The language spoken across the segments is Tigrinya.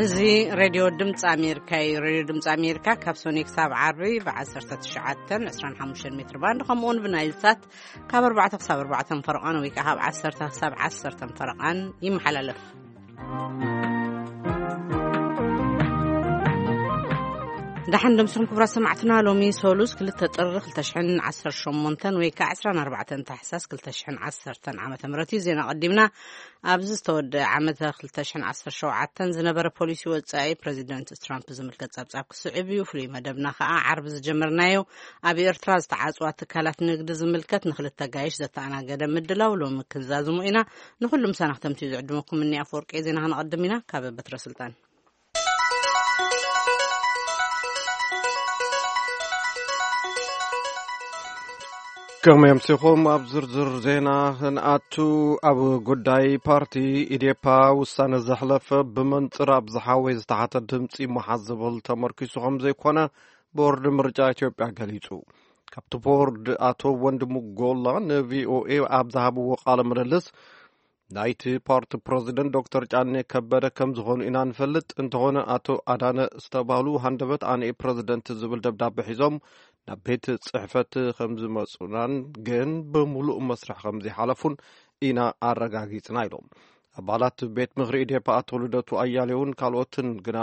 እዚ ሬድዮ ድምፂ ኣሜሪካ እዩ። ሬድዮ ድምፂ ኣሜሪካ ካብ ሶኒ ክሳብ ዓርቢ ብ19፣ 25 ሜትር ባንድ፣ ከምኡውን ብናይል ሳት ካብ ኣርባዕተ ክሳብ ኣርባዕተ ፈረቓን ወይ ከዓ ካብ ዓሰርተ ክሳብ ዓሰርተ ፈረቓን ይመሓላለፍ። ደሓን ደምስኹም ክቡራት ሰማዕትና፣ ሎሚ ሶሉስ ክልተ ጥሪ ክልተ ሽሕን ዓሰርተ ሸሞንተን ወይ ከዓ ዕስራን ኣርባዕተን ታሕሳስ ክልተ ሽሕን ዓሰርተን ዓመተ ምህረት እዩ። ዜና ቀዲምና። ኣብዚ ዝተወደአ ዓመተ ክልተ ሽሕን ዓሰርተ ሸውዓተን ዝነበረ ፖሊሲ ወጻኢ ፕረዚደንት ትራምፕ ዝምልከት ጸብጻብ ክስዕብ እዩ። ፍሉይ መደብና ከኣ ዓርቢ ዝጀመርናዮ ኣብ ኤርትራ ዝተዓጽዋ ትካላት ንግዲ ዝምልከት ንክልተ ጋይሽ ዘተኣናገደ ምድላው ሎሚ ክንዛዝሞ ኢና። ንኹሉም ሰናኽተምቲ ዝዕድመኩም እኒ ኣፈወርቂ ዜና። ክንቐድም ኢና። ካብ በትረ ስልጣን። ከመይ ኣምሲኹም? ኣብ ዝርዝር ዜና ክንኣቱ፣ ኣብ ጉዳይ ፓርቲ ኢዴፓ ውሳነ ዘሕለፈ ብመንጽር ኣብዝሓ ወይ ዝተሓተ ድምፂ መሓዝ ዝብል ተመርኪሱ ከም ዘይኮነ ቦርድ ምርጫ ኢትዮጵያ ገሊጹ። ካብቲ ቦርድ ኣቶ ወንድሙ ጎላ ንቪኦኤ ኣብ ዝሃብዎ ቃለ ምልልስ፣ ናይቲ ፓርቲ ፕረዚደንት ዶክተር ጫኔ ከበደ ከም ዝኾኑ ኢና ንፈልጥ። እንተኾነ ኣቶ ኣዳነ ዝተባህሉ ሃንደበት ኣነ ፕረዚደንት ዝብል ደብዳቤ ሒዞም ናብ ቤት ጽሕፈት ከም ዝመጹናን ግን ብምሉእ መስርሕ ከም ዘይሓለፉን ኢና ኣረጋጊጽና ኢሎም። ኣባላት ቤት ምኽሪ ኢዴፓ ኣቶ ልደቱ ኣያሌውን ካልኦትን ግና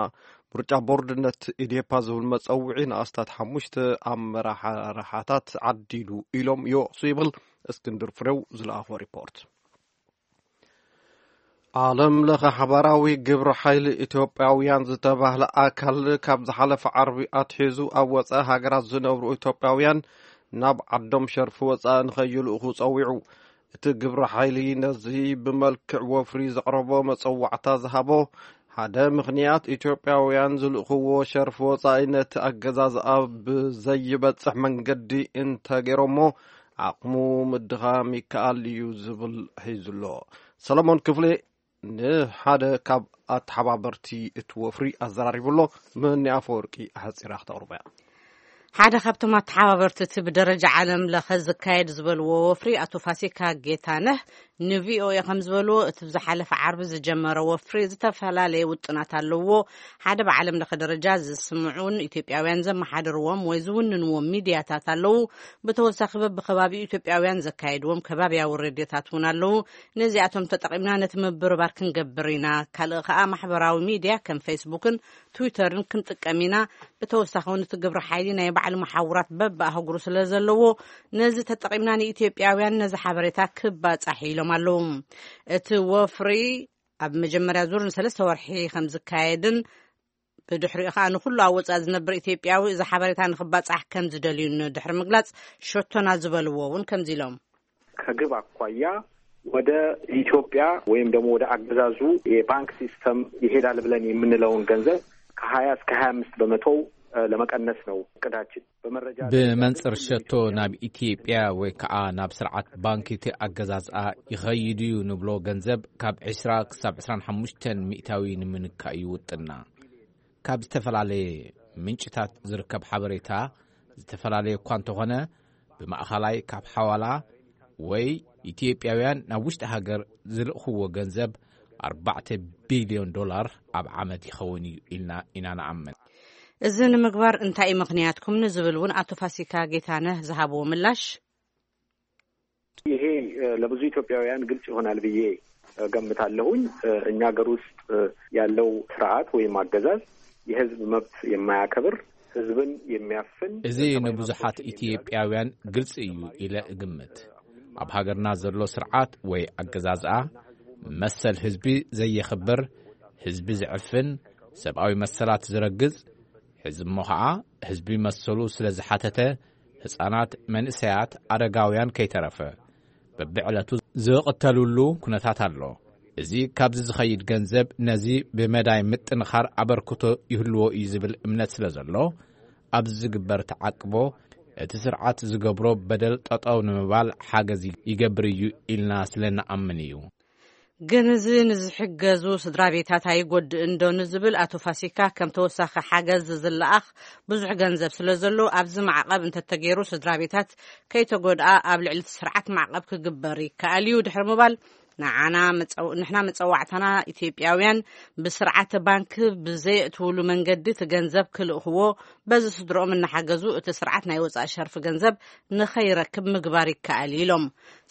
ምርጫ ቦርድነት ኢዴፓ ዝብል መጸውዒ ንኣስታት ሓሙሽተ ኣመራሓርሓታት ዓዲሉ ኢሎም ይወቕሱ ይብል እስክንድር ፍሬው ዝለኣኾ ሪፖርት። ዓለም ለኸ ሓባራዊ ግብረ ሓይሊ ኢትዮጵያውያን ዝተባህለ ኣካል ካብ ዝሓለፈ ዓርቢ ኣትሒዙ ኣብ ወጻኢ ሃገራት ዝነብሩ ኢትዮጵያውያን ናብ ዓዶም ሸርፊ ወጻኢ ንኸይልእኹ ጸዊዑ። እቲ ግብረ ሓይሊ ነዚ ብመልክዕ ወፍሪ ዘቕረቦ መጸዋዕታ ዝሃቦ፣ ሓደ ምኽንያት ኢትዮጵያውያን ዝልእኽዎ ሸርፊ ወጻኢ ነቲ ኣገዛዝኣ ብዘይበጽሕ መንገዲ እንተገይሮሞ ዓቕሙ ምድኻም ይከኣል እዩ ዝብል ሒዙ ኣሎ። ሰለሞን ክፍሌ ንሓደ ካብ ኣተሓባበርቲ እቲ ወፍሪ ኣዘራሪቡ ኣሎ። ምህኒ ኣፈወርቂ ኣሕጺራ ክተቕርቦ እያ። ሓደ ካብቶም ኣተሓባበርቲ እቲ ብደረጃ ዓለም ለኸ ዝካየድ ዝበልዎ ወፍሪ ኣቶ ፋሲካ ጌታነህ ንቪኦኤ ከም ዝበልዎ፣ እቲ ብዝሓለፈ ዓርቢ ዝጀመረ ወፍሪ ዝተፈላለየ ውጥናት ኣለዎ። ሓደ ብዓለም ለኸ ደረጃ ዝስምዑን ኢትዮጵያውያን ዘመሓድርዎም ወይ ዝውንንዎም ሚድያታት ኣለዉ። ብተወሳኺ በብከባቢኡ ኢትዮጵያውያን ዘካየድዎም ከባቢያዊ ሬድዮታት እውን ኣለዉ። ነዚኣቶም ተጠቒምና ነቲ ምብርባር ክንገብር ኢና። ካልእ ከኣ ማሕበራዊ ሚድያ ከም ፌስቡክን ትዊተርን ክንጥቀም ኢና። ብተወሳኺ እውን እቲ ግብረ ሓይሊ ናይ ባዕሉ መሓውራት በብኣህጉሩ ስለ ዘለዎ፣ ነዚ ተጠቒምና ንኢትዮጵያውያን ነዚ ሓበሬታ ክባጻሕ ኢሎም ኣለዉ። እቲ ወፍሪ ኣብ መጀመርያ ዙር ንሰለስተ ወርሒ ከም ዝካየድን ብድሕሪኡ ከኣ ንኹሉ ኣብ ወጻኢ ዝነብር ኢትዮጵያዊ እዚ ሓበሬታ ንኽባጻሕ ከም ዝደልዩ ንድሕሪ ምግላጽ፣ ሸቶና ዝበልዎ እውን ከምዚ ኢሎም። ከግብ ኣኳያ ወደ ኢትዮጵያ ወይም ደግሞ ወደ አገዛዙ የባንክ ሲስተም ይሄዳል ብለን የምንለውን ገንዘብ ከ20 እስከ 25% ለመቀነስ ነው እቅዳችን። በመረጃ ደረጃ ብመንጽር ግን ሸቶ ኢትዮጵያ ናብ ኢትዮጵያ ወይ ከዓ ናብ ስርዓት ባንክ እቲ ኣገዛዝኣ ይኸይድ እዩ ንብሎ ገንዘብ ካብ ዕስራ ክሳብ ዕስራን ሓሙሽተን ሚእታዊ ንምንካእ እዩ ውጥና። ካብ ዝተፈላለየ ምንጭታት ዝርከብ ሓበሬታ ዝተፈላለየ እኳ እንተኾነ፣ ብማእኸላይ ካብ ሓዋላ ወይ ኢትዮጵያውያን ናብ ውሽጢ ሃገር ዝልእኽዎ ገንዘብ ኣርባዕተ ቢልዮን ዶላር ኣብ ዓመት ይኸውን እዩ ኢልና ኢና ንኣምን። እዚ ንምግባር እንታይ እዩ ምኽንያትኩም ንዝብል እውን ኣቶ ፋሲካ ጌታነህ ዝሃብዎ ምላሽ፣ ይሄ ለብዙ ኢትዮጵያውያን ግልጽ ይሆናል ብዬ እገምታለሁኝ። እኛ ሀገር ውስጥ ያለው ስርዓት ወይም አገዛዝ የህዝብ መብት የማያከብር፣ ህዝብን የሚያፍን፣ እዚ ንብዙሓት ኢትዮጵያውያን ግልጽ እዩ ኢለ እግምት። ኣብ ሃገርና ዘሎ ስርዓት ወይ ኣገዛዝኣ መሰል ህዝቢ ዘየኽብር፣ ህዝቢ ዝዕፍን፣ ሰብኣዊ መሰላት ዝረግጽ፣ ሕዚ እሞ ኸዓ ህዝቢ መሰሉ ስለ ዝሓተተ፣ ህጻናት፣ መንእሰያት፣ ኣረጋውያን ከይተረፈ በብዕለቱ ዝቕተሉሉ ኩነታት ኣሎ። እዚ ካብዚ ዝኸይድ ገንዘብ ነዚ ብመዳይ ምጥንኻር ኣበርክቶ ይህልዎ እዩ ዝብል እምነት ስለ ዘሎ፣ ኣብዚ ዝግበር ተዓቅቦ እቲ ስርዓት ዝገብሮ በደል ጠጠው ንምባል ሓገዝ ይገብር እዩ ኢልና ስለ ንኣምን እዩ። ግን እዚ ንዝሕገዙ ስድራ ቤታት ኣይጎድእን ዶ ንዝብል ኣቶ ፋሲካ፣ ከም ተወሳኺ ሓገዝ ዝለኣኽ ብዙሕ ገንዘብ ስለ ዘሎ፣ ኣብዚ ማዕቐብ እንተተገይሩ ስድራ ቤታት ከይተጎድኣ ኣብ ልዕሊ እቲ ስርዓት ማዕቐብ ክግበር ይከኣል እዩ ድሕሪ ምባል፣ ንዓና መጸው-፣ ንሕና መጸዋዕታና ኢትዮጵያውያን ብስርዓተ ባንክ ብዘየእትውሉ መንገዲ እቲ ገንዘብ ክልእኽዎ፣ በዚ ስድሮኦም እናሓገዙ እቲ ስርዓት ናይ ወጻኢ ሸርፊ ገንዘብ ንኸይረክብ ምግባር ይከኣል ኢሎም።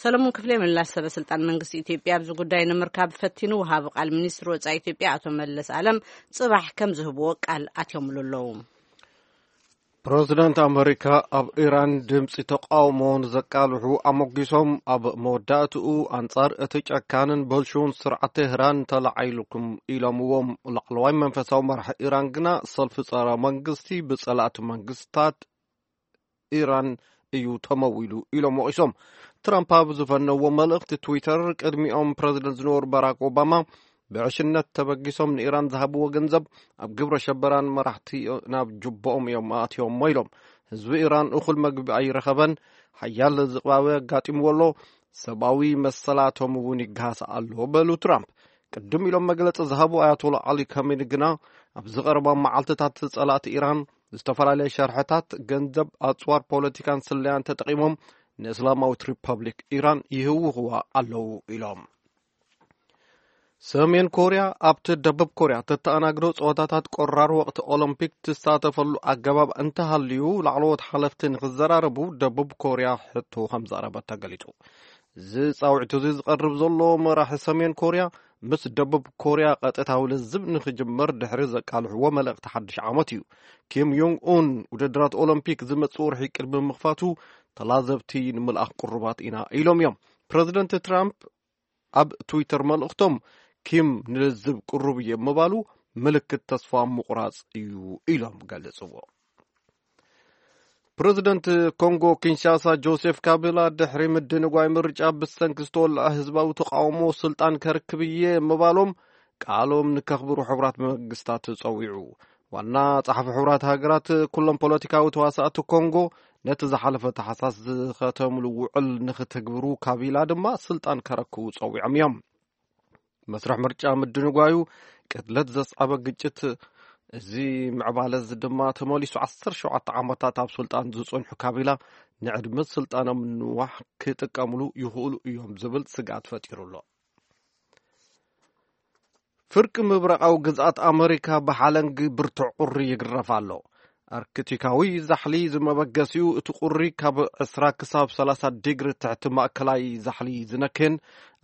ሰለሙን ክፍሌ ምላሽ ሰበ ስልጣን መንግስቲ ኢትዮጵያ ኣብዚ ጉዳይ ንምርካብ ፈቲኑ፣ ወሃቢ ቃል ሚኒስትሪ ወጻኢ ኢትዮጵያ ኣቶ መለስ ኣለም ጽባሕ ከም ዝህብዎ ቃል ኣትዮምሉ ኣለዉ። ፕረዚደንት ኣመሪካ ኣብ ኢራን ድምፂ ተቃውሞ ንዘቃልሑ ኣሞጊሶም፣ ኣብ መወዳእትኡ ኣንጻር እቲ ጨካንን በልሹውን ስርዓት ቴህራን ተለዓይልኩም ኢሎምዎም። ላዕለዋይ መንፈሳዊ መራሒ ኢራን ግና ሰልፊ ጸረ መንግስቲ ብጸላእቲ መንግስታት ኢራን እዩ ተመዊሉ ኢሎም ወቒሶም። ትራምፕ ኣብ ዝፈነዎ መልእኽቲ ትዊተር፣ ቅድሚኦም ፕረዚደንት ዝነበሩ ባራክ ኦባማ ብዕሽነት ተበጊሶም ንኢራን ዝሃብዎ ገንዘብ ኣብ ግብረ ሸበራን መራሕቲ ናብ ጁቦኦም እዮም ኣእትዮሞ ኢሎም። ህዝቢ ኢራን እኹል መግቢ ኣይረኸበን፣ ሓያል ዝቕባበ ኣጋጢምዎ ኣሎ፣ ሰብኣዊ መሰላቶም እውን ይገሃስ ኣሎ በሉ ትራምፕ። ቅድም ኢሎም መግለጺ ዝሃቡ ኣያቶላ ዓሊ ካሜኒ ግና፣ ኣብዚ ቀረባ መዓልትታት ጸላእቲ ኢራን ዝተፈላለየ ሸርሕታት ገንዘብ፣ ኣጽዋር ፖለቲካን ስለያን ተጠቒሞም ንእስላማዊት ሪፐብሊክ ኢራን ይህውኽዋ ኣለዉ ኢሎም። ሰሜን ኮርያ ኣብቲ ደቡብ ኮርያ ተተኣናግዶ ጸወታታት ቆራር ወቕቲ ኦሎምፒክ ትሳተፈሉ ኣገባብ እንተሃልዩ፣ ላዕለዎት ሓለፍቲ ንክዘራረቡ ደቡብ ኮርያ ሕቶ ከም ዘቕረበት ተገሊጹ። እዚ ጻውዒት እዚ ዝቐርብ ዘሎ፣ መራሒ ሰሜን ኮርያ ምስ ደቡብ ኮርያ ቀጥታዊ ልዝብ ንክጅመር ድሕሪ ዘቃልሕዎ መልእኽቲ ሓድሽ ዓመት እዩ። ኪም ዮንግ ኡን፣ ውድድራት ኦሎምፒክ ዝመጽእ ወርሒ ቅድሚ ምኽፋቱ፣ ተላዘብቲ ንምልኣኽ ቅሩባት ኢና ኢሎም እዮም። ፕረዚደንት ትራምፕ ኣብ ትዊተር መልእኽቶም፣ ኪም ንልዝብ ቅሩብ እየ ምባሉ ምልክት ተስፋ ምቑራጽ እዩ ኢሎም ገሊጽዎ። ፕረዚደንት ኮንጎ ኪንሻሳ ጆሴፍ ካቢላ፣ ድሕሪ ምድንጓይ ምርጫ ብሰንኪ ዝተወልዐ ህዝባዊ ተቃውሞ ስልጣን ከርክብ እየ ምባሎም፣ ቃሎም ንከኽብሩ ሕቡራት መንግስታት ጸዊዑ። ዋና ጸሓፊ ሕቡራት ሃገራት፣ ኩሎም ፖለቲካዊ ተዋሳእቲ ኮንጎ ነቲ ዝሓለፈ ታሕሳስ ዝኸተምሉ ውዕል ንክትግብሩ፣ ካቢላ ድማ ስልጣን ከረክቡ ጸዊዖም እዮም። መስርሕ ምርጫ ምድንጓዩ ቅትለት ዘስዓበ ግጭት፣ እዚ ምዕባለ እዚ ድማ ተመሊሱ ዓሰርተ ሸውዓተ ዓመታት ኣብ ስልጣን ዝጸንሑ ካቢላ ንዕድመ ስልጣኖም ንዋሕ ክጥቀምሉ ይኽእሉ እዮም ዝብል ስግኣት ፈጢሩ ኣሎ። ፍርቂ ምብራቓዊ ግዝኣት ኣመሪካ ብሓለንጊ ብርቱዕ ቁሪ ይግረፍ ኣሎ። ኣርክቲካዊ ዛሕሊ ዝመበገሲኡ፣ እቲ ቁሪ ካብ ዕስራ ክሳብ ሰላሳ ዲግሪ ትሕቲ ማእከላይ ዛሕሊ ዝነክን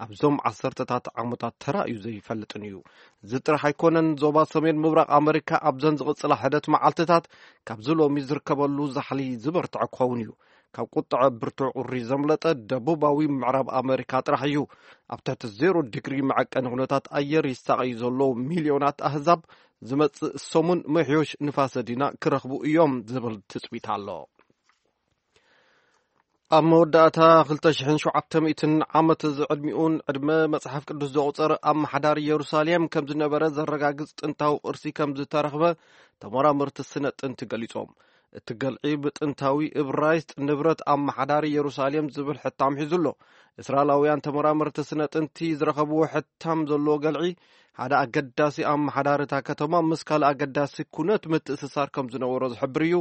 ኣብዞም ዓሰርተታት ዓመታት ተራእዩ ዘይፈልጥን እዩ። እዚ ጥራሕ ኣይኮነን፣ ዞባ ሰሜን ምብራቕ ኣመሪካ ኣብዘን ዝቕጽላ ሕደት መዓልትታት ካብዚ ሎሚ ዝርከበሉ ዛሕሊ ዝበርትዐ ክኸውን እዩ። ካብ ቁጥዐ ብርቱዕ ቁሪ ዘምለጠ ደቡባዊ ምዕራብ ኣመሪካ ጥራሕ እዩ። ኣብ ትሕቲ ዜሮ ዲግሪ መዐቀኒ ኩነታት ኣየር ይሳቐዩ ዘለዉ ሚልዮናት ኣህዛብ፣ ዝመጽእ ሰሙን ምሕዮሽ ንፋሰ ዲና ክረኽቡ እዮም ዝብል ትጽቢት ኣሎ። ኣብ መወዳእታ ክልተ ሽሕን ሸውዓተ ሚእትን ዓመት ዝዕድሚኡን ዕድመ መጽሓፍ ቅዱስ ዘቑጸረ ኣመሓዳሪ የሩሳሌም ከም ዝነበረ ዘረጋግጽ ጥንታዊ ቅርሲ ከም ዝተረኽበ ተመራመርቲ ስነ ጥንቲ ገሊጾም። እቲ ገልዒ ብጥንታዊ እብራይስጥ ንብረት ኣመሓዳሪ የሩሳሌም ዝብል ሕታም ሒዙ ኣሎ። እስራኤላውያን ተመራመርቲ ስነ ጥንቲ ዝረኸብዎ ሕታም ዘለዎ ገልዒ፣ ሓደ ኣገዳሲ ኣመሓዳሪ እታ ከተማ ምስ ካልእ ኣገዳሲ ኩነት ምትእስሳር ከም ዝነበሮ ዝሕብር እዩ።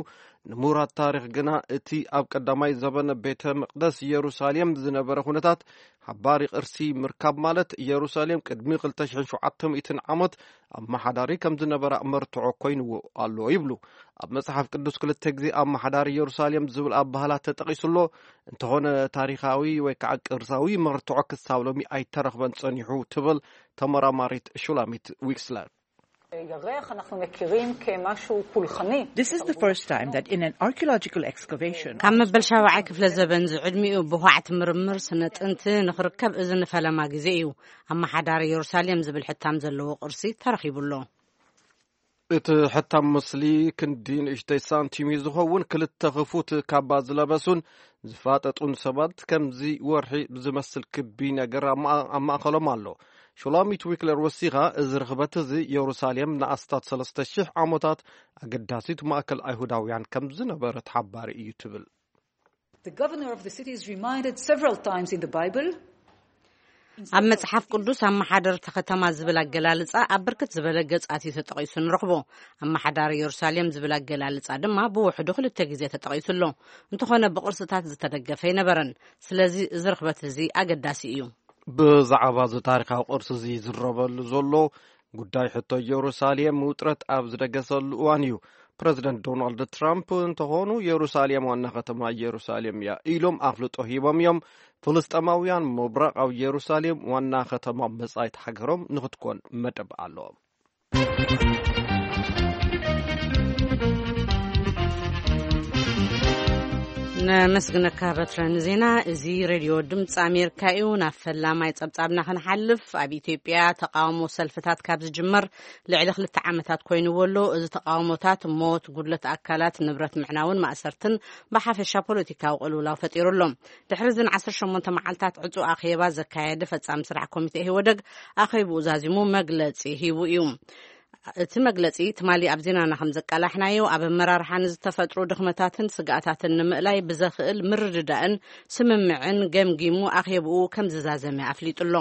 ንምሁራት ታሪኽ ግና፣ እቲ ኣብ ቀዳማይ ዘበነ ቤተ መቕደስ ኢየሩሳሌም ዝነበረ ኩነታት ሓባሪ ቅርሲ ምርካብ ማለት፣ ኢየሩሳሌም ቅድሚ ክልተ ሽሕን ሸውዓተ ሚእትን ዓመት ኣመሓዳሪ ከም ዝነበራ መርትዖ ኮይንዎ ኣሎ ይብሉ። ኣብ መጽሓፍ ቅዱስ ክልተ ግዜ ኣመሓዳሪ ኢየሩሳሌም ዝብል ኣበሃህላ ተጠቒሱ ኣሎ። እንተኾነ፣ ታሪኻዊ ወይ ከዓ ቅርሳዊ መርትዖ ክሳብ ሎሚ ኣይተረኽበን ጸኒሑ ትብል ተመራማሪት ሹላሚት ዊክስለር። ירח אנחנו מכירים כמשהו פולחני. This is the first time that in an archaeological excavation, ካብ መበል ሻብዓይ ክፍለ ዘበን ዝዕድሚኡ ብኳዕቲ ምርምር ስነ ጥንቲ ንኽርከብ እዚ ንፈለማ ግዜ እዩ። ኣመሓዳሪ የሩሳሌም ዝብል ሕታም ዘለዎ ቅርሲ ተረኺቡ ኣሎ። እቲ ሕታም ምስሊ ክንዲ ንእሽተይ ሳንቲም እዩ ዝኸውን። ክልተ ክፉት ካባ ዝለበሱን ዝፋጠጡን ሰባት ከምዚ ወርሒ ብዝመስል ክቢ ነገር ኣብ ማእ-፣ ኣብ ማእከሎም ኣሎ። ሹላሚት ዊክለር ወሲኻ፣ እዚ ርኽበት እዚ የሩሳሌም ንኣስታት ሰለስተ ሽሕ ዓመታት ኣገዳሲት ማእከል ኣይሁዳውያን ከም ዝነበረት ሓባሪ እዩ ትብል። The governor of the city is reminded several times in the Bible ኣብ መጽሓፍ ቅዱስ ኣመሓደርቲ ከተማ ዝብል ኣገላልጻ ኣብ ብርክት ዝበለ ገጻት እዩ ተጠቒሱ ንረኽቦ። ኣመሓዳሪ የሩሳሌም ዝብል ኣገላልጻ ድማ ብውሕዱ ክልተ ግዜ ተጠቒሱ ኣሎ። እንተኾነ ብቕርስታት ዝተደገፈ ኣይነበረን። ስለዚ እዚ ርኽበት እዚ ኣገዳሲ እዩ። ብዛዕባ እዚ ታሪኻዊ ቅርሲ እዚ ዝረበሉ ዘሎ ጉዳይ ሕቶ ኢየሩሳሌም ውጥረት ኣብ ዝደገሰሉ እዋን እዩ። ፕረዚደንት ዶናልድ ትራምፕ እንተኾኑ፣ የሩሳሌም ዋና ከተማ ኢየሩሳሌም እያ ኢሎም ኣፍልጦ ሂቦም እዮም። ፍልስጤማውያን ምብራቓዊ የሩሳሌም ዋና ከተማ መጻኢት ሃገሮም ንኽትኮን መደብ ኣለዎም። ነመስግነካ በትረ ንዜና። እዚ ሬድዮ ድምፂ ኣሜሪካ እዩ። ናብ ፈላማይ ጸብጻብና ክንሓልፍ፣ ኣብ ኢትዮጵያ ተቃውሞ ሰልፍታት ካብ ዝጅመር ልዕሊ ክልተ ዓመታት ኮይንዎ ኣሎ። እዚ ተቃውሞታት ሞት፣ ጉድለት ኣካላት፣ ንብረት ምዕናውን ማእሰርትን ብሓፈሻ ፖለቲካዊ ቅልውላው ፈጢሩ ኣሎ። ድሕሪ እዝን ዓሰርተ ሸሞንተ መዓልታት ዕጹ ኣኼባ ዘካየደ ፈጻሚ ስራሕ ኮሚቴ ኢህወደግ ኣኼብኡ ዛዚሙ መግለጺ ሂቡ እዩ። እቲ መግለጺ ትማሊ ኣብ ዜናና ከም ዘቃላሕናዮ፣ ኣብ ኣመራርሓ ንዝተፈጥሩ ድኽመታትን ስግኣታትን ንምእላይ ብዘኽእል ምርድዳእን ስምምዕን ገምጊሙ ኣኼብኡ ከም ዝዛዘመ ኣፍሊጡ ኣሎ።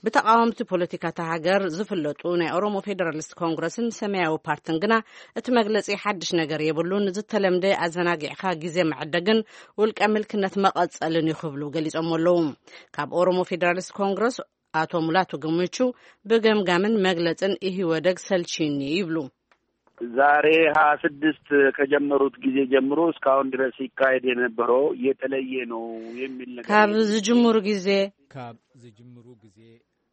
ብተቃወምቲ ፖለቲካ እታ ሃገር ዝፍለጡ ናይ ኦሮሞ ፌደራሊስት ኮንግረስን ሰማያዊ ፓርትን ግና እቲ መግለጺ ሓድሽ ነገር የብሉን፣ ዝተለምደ ኣዘናጊዕካ ግዜ መዕደግን ውልቀ ምልክነት መቐጸልን እዩ ክብሉ ገሊጾም ኣለዉ። ካብ ኦሮሞ ፌደራሊስት ኮንግረስ ኣቶ ሙላቱ ገመቹ ብገምጋምን መግለጽን ኢህወደግ ሰልችኒ ይብሉ። ዛሬ ሃያ ስድስት ከጀመሩት ጊዜ ጀምሮ እስካሁን ድረስ ይካሄድ የነበረው የተለየ ነው የሚል ነገር ካብ የለም። ዝጅምሩ ግዜ ካብ ዝጅምሩ ግዜ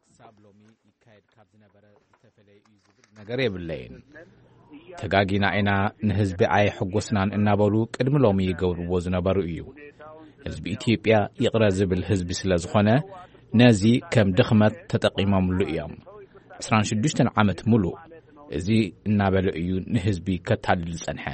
ክሳብ ሎሚ ይካየድ ካብ ዝነበረ ዝተፈለየ እዩ ዝብል ነገር የብለይን። ተጋጊና ኢና፣ ንህዝቢ ኣየሐጎስናን እናበሉ ቅድሚ ሎሚ ይገብርዎ ዝነበሩ እዩ። ህዝቢ ኢትዮጵያ ይቕረ ዝብል ህዝቢ ስለ ዝኾነ ነዚ ከም ድኽመት ተጠቒሞምሉ እዮም። ዕስራን ሽዱሽተን ዓመት ሙሉእ እዚ እናበለ እዩ ንህዝቢ ከታልል ዝጸንሐ።